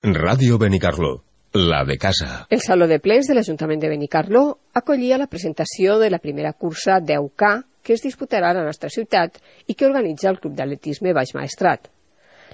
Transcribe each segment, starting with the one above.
Ràdio Benicarló, la de casa. El Saló de Plens de l'Ajuntament de Benicarló acollia la presentació de la primera cursa 10K que es disputarà a la nostra ciutat i que organitza el Club d'Atletisme Baix Maestrat.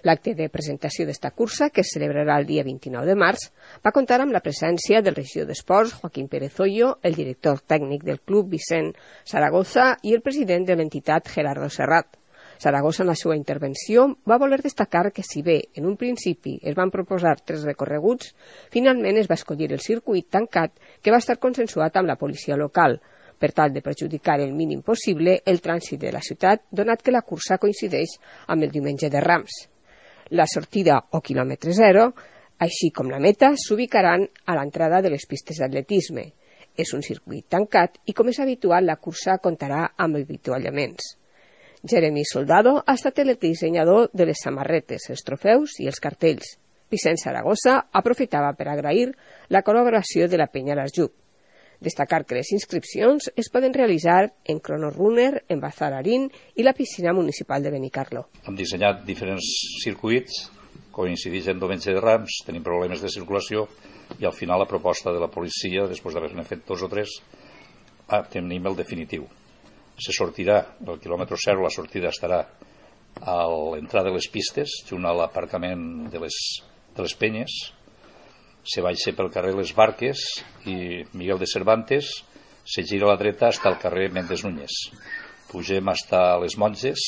L'acte de presentació d'esta cursa, que es celebrarà el dia 29 de març, va comptar amb la presència del regidor d'Esports, Joaquín Pérez Hoyo, el director tècnic del club, Vicent Zaragoza, i el president de l'entitat, Gerardo Serrat. Zaragoza, en la seva intervenció, va voler destacar que si bé en un principi es van proposar 3 recorreguts, finalment es va escollir el circuit tancat que va estar consensuat amb la policia local, per tal de perjudicar el mínim possible el trànsit de la ciutat, donat que la cursa coincideix amb el diumenge de Rams. La sortida o quilòmetre zero, així com la meta, s'ubicaran a l'entrada de les pistes d'atletisme. És un circuit tancat i, com és habitual, la cursa comptarà amb avituallaments. Jeremy Soldado ha estat el dissenyador de les samarretes, els trofeus i els cartells. Vicent Zaragoza aprofitava per agrair la col·laboració de la Penya L'Arjup. Destacar que les inscripcions es poden realitzar en Cronorunner, en Bazararín i la piscina municipal de Benicarló. Hem dissenyat diferents circuits, coincideix en diumenge de Rams, tenim problemes de circulació i al final la proposta de la policia, després d'haver-ne fet 2 o 3, tenim el definitiu. Se sortirà el quilòmetre 0, la sortida estarà a l'entrada de les pistes, junt a l'aparcament de les penyes. Se baixa pel carrer Les Barques i Miguel de Cervantes, se gira a la dreta fins al carrer Méndez Núñez. Pugem fins a les Monges,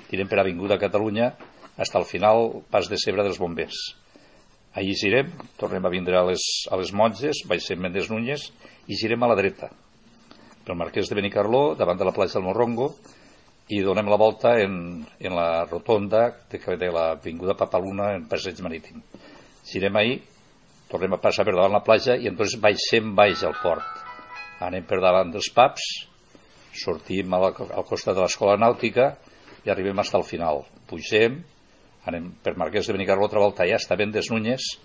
tirem per Avinguda Catalunya, fins al final Pas de Cebre dels Bombers. Allí girem, tornem a vindre a les Monges, baixem Méndez Núñez i girem a la dreta pel Marquès de Benicarló, davant de la platja del Morrongo, i donem la volta en la rotonda de l'avinguda Papaluna en passeig marítim. Girem ahí, tornem a passar per davant la platja i entonces baixem baix al port. Anem per davant dels pubs, sortim al costat de l'escola nàutica i arribem fins al final. Pugem, anem per Marquès de Benicarló, altra volta ja està Méndez Núñez,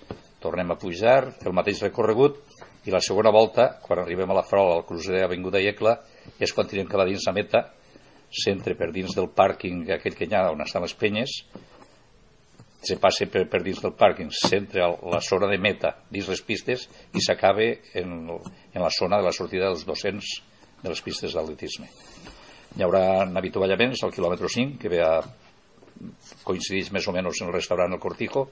tornem a pujar, el mateix recorregut, i la segona volta, quan arribem a la Farola, al crucer d'Avinguda Iecla, és quan tirem cap a dins la meta, s'entra per dins del pàrquing aquell que hi ha on estan les penyes, se passa per dins del pàrquing, s'entra a la zona de meta dins les pistes i s'acaba en la zona de la sortida dels 200 de les pistes d'atletisme. Hi haurà avituallaments al quilòmetre 5, que coincideix més o menys en el restaurant El Cortijo.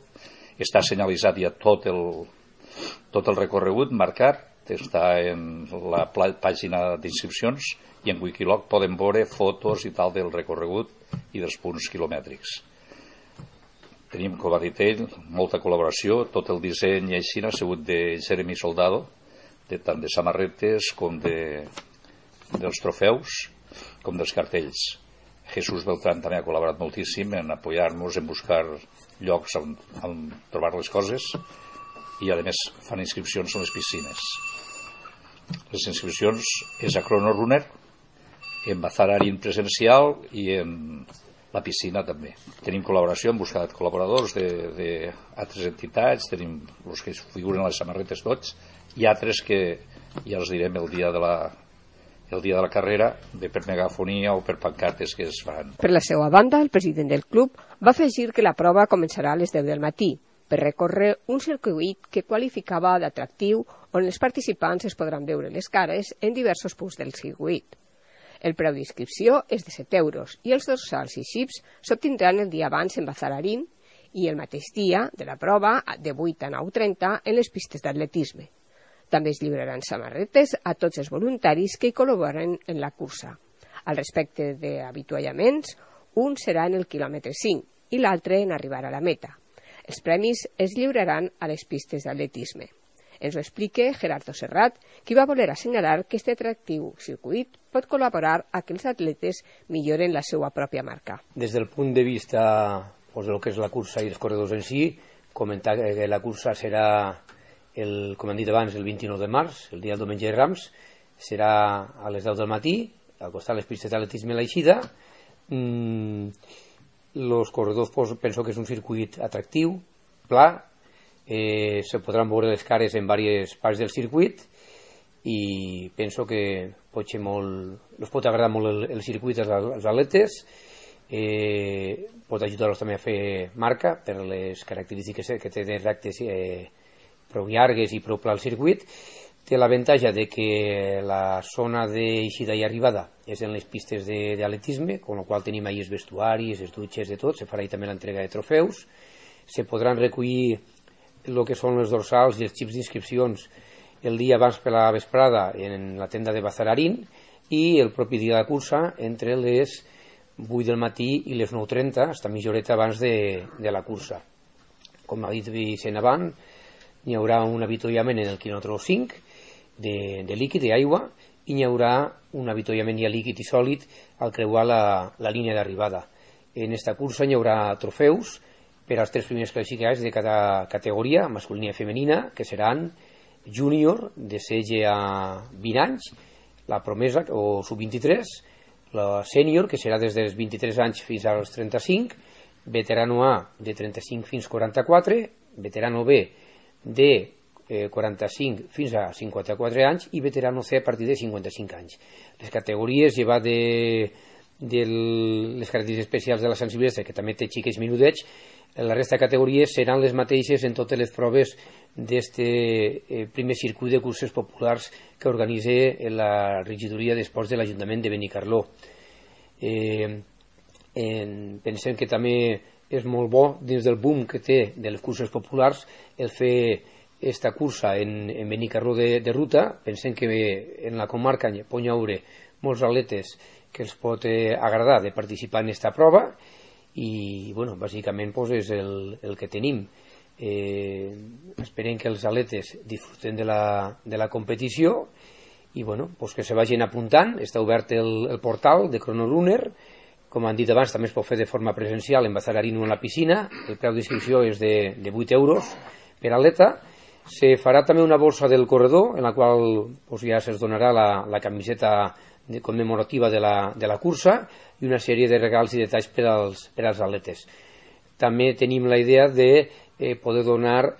Està senyalitzat ja tot el recorregut marcat, està en la pàgina d'inscripcions i en Wikiloc poden veure fotos i tal del recorregut i dels punts quilomètrics. Tenim, com ha dit ell, molta col·laboració, tot el disseny i així ha sigut de Jeremy Soldado, tant de samarretes com dels trofeus com dels cartells. Jesús Beltrán també ha col·laborat moltíssim en apoyar-nos, en buscar llocs on trobar les coses, i a més fan inscripcions en les piscines. Les inscripcions és a Cronorunner, en Bazararín presencial i en la piscina també. Tenim col·laboració, hem buscat col·laboradors d'altres entitats, tenim els que figuren a les samarretes tots, i altres que ja els direm el dia de la carrera, bé per megafonia o per pancartes que es fan. Per la seva banda, el president del club va afegir que la prova començarà a les 10 del matí, per recórrer un circuit que qualificava d'atractiu on els participants es podran veure les cares en diversos punts del circuit. El preu d'inscripció és de 7 euros i els dorsals i xips s'obtindran el dia abans en Bazararín i el mateix dia de la prova de 8 a 9:30 en les pistes d'atletisme. També es lliuraran samarretes a tots els voluntaris que hi col·laboren en la cursa. Al respecte d'avituallaments, un serà en el quilòmetre 5 i l'altre en arribar a la meta. Els premis es lliuraran a les pistes d'atletisme. Ens ho explica Gerardo Serrat, qui va voler assenyalar que aquest atractiu circuit pot col·laborar a que els atletes milloren la seva pròpia marca. Des del punt de vista del que és la cursa i els corredors en si, comentar que la cursa serà, com hem dit abans, el 29 de març, el dia del diumenge de Rams, serà a les 10 del matí, al costat de les pistes d'atletisme a l'Eixida. Els corredors penso que és un circuit atractiu, pla, se podran veure les cares en diverses parts del circuit i penso que els pot agradar molt el circuit als atletes pot ajudar-los també a fer marca per les característiques que té de rectes prou llargues i prou pla al circuit. Té l'avantatge de que la zona d'eixida i arribada és en les pistes d'atletisme, amb la qual tenim ahir els vestuaris, les dutxes, de tot. Se farà també l'entrega de trofeus. Se podran recollir el que són les dorsals i els xips d'inscripcions el dia abans per la vesprada en la tenda de Bazararín i el propi dia de la cursa entre les 8 del matí i les 9:30, hasta mitja horeta abans de la cursa. Com ha dit Vicent abans, hi haurà un avituallament en el quilòmetre 5 de líquid i aigua i hi haurà un avituallament ja líquid i sòlid al creuar la línia d'arribada. En aquesta cursa hi haurà trofeus per als 3 primers classificats de cada categoria, masculina i femenina, que seran júnior de 16 a 20 anys, la promesa o sub-23, la sènior, que serà des dels 23 anys fins als 35, veterano A de 35 fins 44, veterano B de 45 fins a 54 anys i veterano C a partir de 55 anys. Les categories llevat de les característiques especials de la sensibilitat, que també té xiquets minudets, la resta de categories seran les mateixes en totes les proves d'aquest primer circuit de curses populars que organitza la regidoria d'esports de l'Ajuntament de Benicarló. Pensem que també és molt bo, dins del boom que té de les curses populars, el fer aquesta cursa en Benicarló de ruta. Pensem que en la comarca pot haure molts atletes que els pot agradar de participar en aquesta prova i, bueno, bàsicament és el que tenim. Esperem que els atletes disfruten de la competició i, bueno, que se vagin apuntant. Està obert el portal de CronoRunner. Com han dit abans, també es pot fer de forma presencial en Bazararín o en la piscina. El preu d'inscripció és de 8 euros per atleta. Se farà també una borsa del corredor, en la qual ja se'ls donarà la camiseta commemorativa de la cursa i una sèrie de regals i detalls per als atletes. També tenim la idea de poder donar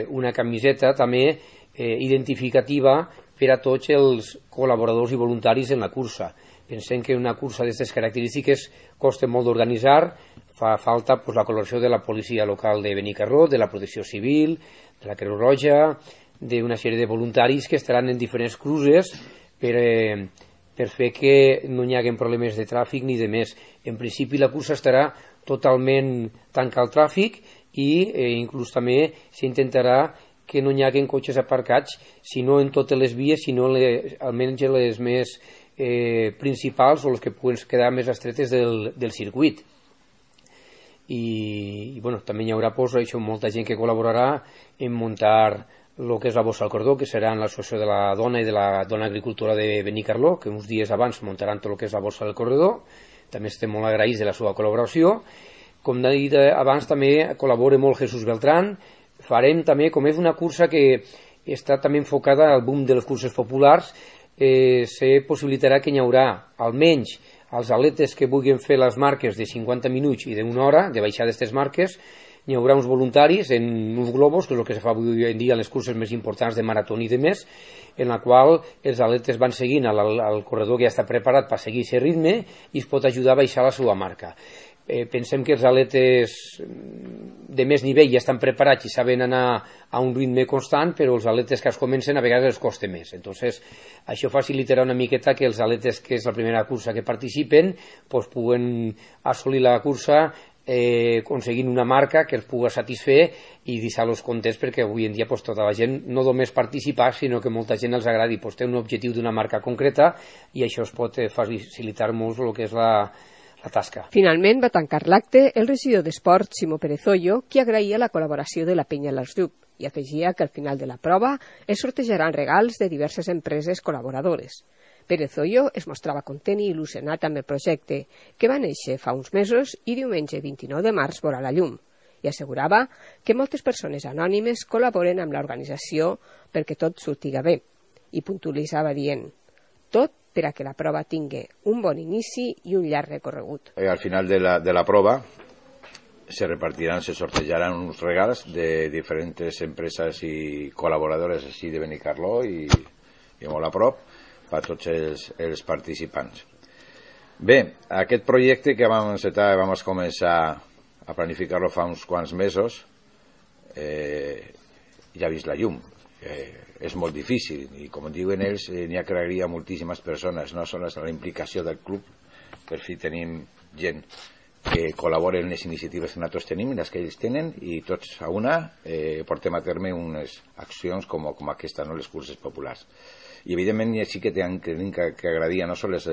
una camiseta també identificativa per a tots els col·laboradors i voluntaris en la cursa. Pensem que una cursa d'aquestes característiques costa molt d'organitzar, fa falta la col·laboració de la policia local de Benicarló, de la protecció civil, de la Creu Roja, d'una sèrie de voluntaris que estaran en diferents cruces per fer que no hi hagi problemes de tràfic ni de més. En principi la cursa estarà totalment tancada al tràfic i inclús també s'intentarà que no hi hagi cotxes aparcats, si no en totes les vies, sinó almenys les més principals o les que puguen quedar més estretes del circuit. I bueno, també hi haurà molta gent que col·laborarà en muntar el que és la bossa al cordó, que serà en l'associació de la dona i de la dona agricultora de Benicarló, que uns dies abans muntaran tot el que és la bossa del corredor. També estem molt agraïts de la seva col·laboració. Com he dit abans, també col·labora molt Jesús Beltrán. Farem també, com és una cursa que està també enfocada al boom de les curses populars, se possibilitarà que hi haurà almenys els atletes que vulguin fer les marques de 50 minuts i d'una hora, de baixar d'aquestes marques. Hi haurà uns voluntaris en uns globus, que és el que se fa avui en dia en les curses més importants de marató i de més, en la qual els atletes van seguint el corredor que ja està preparat per seguir aquest ritme i es pot ajudar a baixar la seva marca. Pensem que els atletes de més nivell ja estan preparats i saben anar a un ritme constant, però els atletes que es comencen a vegades els costa més. Entonces, això facilitarà una miqueta que els atletes, que és la primera cursa que participen, puguen assolir la cursa aconseguint una marca que els pugui satisfer i deixar-los contents, perquè avui en dia tota la gent no només participar, sinó que molta gent els agradi té un objectiu d'una marca concreta i això es pot facilitar molt el que és la tasca. Finalment va tancar l'acte el regidor d'Esport, Ximo Perezoyo, qui agraïa la col·laboració de la Penya Larsdup i afegia que al final de la prova es sortejaran regals de diverses empreses col·laboradores. Perezoyo es mostrava content i il·lusionat amb el projecte, que va néixer fa uns mesos i diumenge 29 de març veurà la llum, i assegurava que moltes persones anònimes col·laboren amb l'organització perquè tot sortiga bé, i puntualitzava dient: tot per a que la prova tingui un bon inici i un llarg recorregut. Al final de la prova se sortejaran uns regals de diferents empreses i col·laboradores així de Benicarló i molt a prop per a tots els participants. Bé, aquest projecte que vam encetar, vam començar a planificar-lo fa uns quants mesos, ja ha vist la llum. És molt difícil i, com diuen ells, n'hi ha que agrair a moltíssimes persones, no sols la implicació del club, per fi tenim gent que col·labora en les iniciatives que nosaltres tenim, les que ells tenen, i tots a una portem a terme unes accions com aquesta, no? Les curses populars. I evidentment sí que tenim que agrair no sols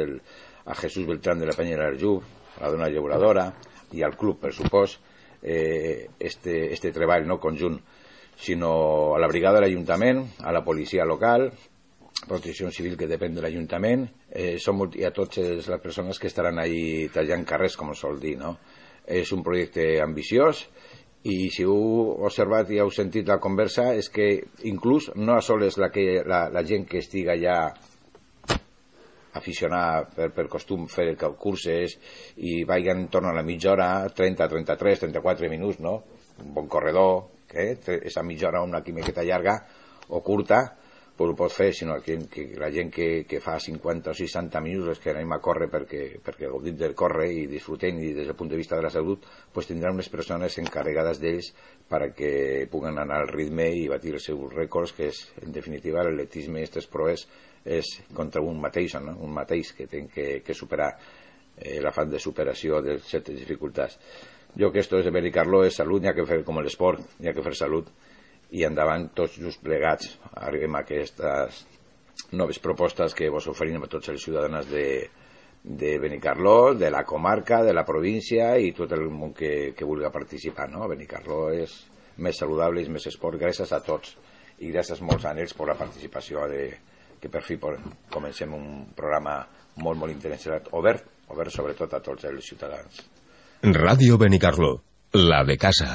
a Jesús Beltrán de la Penya de l'Arjú, a la dona llauradora i al club, per supost, este treball no conjunt, sinó a la brigada de l'Ajuntament, a la policia local, Protecció Civil, que depèn de l'Ajuntament, i a totes les persones que estaran ahí tallant carrers, com sol dir, no? És un projecte ambiciós, i si heu observat i heu sentit la conversa, és que inclús no sols la gent que estiga ja aficionada per costum fer curses i vagin en torn a la mitja hora, 30, 33, 34 minuts, no? Un bon corredor, esa mitja hora una miqueta llarga o curta, pues ho pot fer, sinó que la gent que fa 50 o 60 minuts que anem a córrer perquè gaudim del córrer i disfrutem, i des del punt de vista de la salut, pues tindran unes persones encarregades d'ells perquè puguen anar al ritme i batir els seus rècords, que és, en definitiva, l'atletisme, aquestes proves, és contra un mateix, no? Un mateix que té que superar l'afany de superació de certes dificultats. Jo que esto és de Benicarló, és salut, n'hi ha que fer com l'esport, n'hi ha que fer salut, i endavant tots just plegats arribem a aquestes noves propostes que vos oferim a tots els ciutadans de Benicarló, de la comarca, de la província i tot el món que vulgui participar, no? Benicarló és més saludable i més esport, gràcies a tots i gràcies molts anells per la participació que per fi comencem un programa molt, molt interessant, obert sobretot a tots els ciutadans. Ràdio Benicarló, la de casa.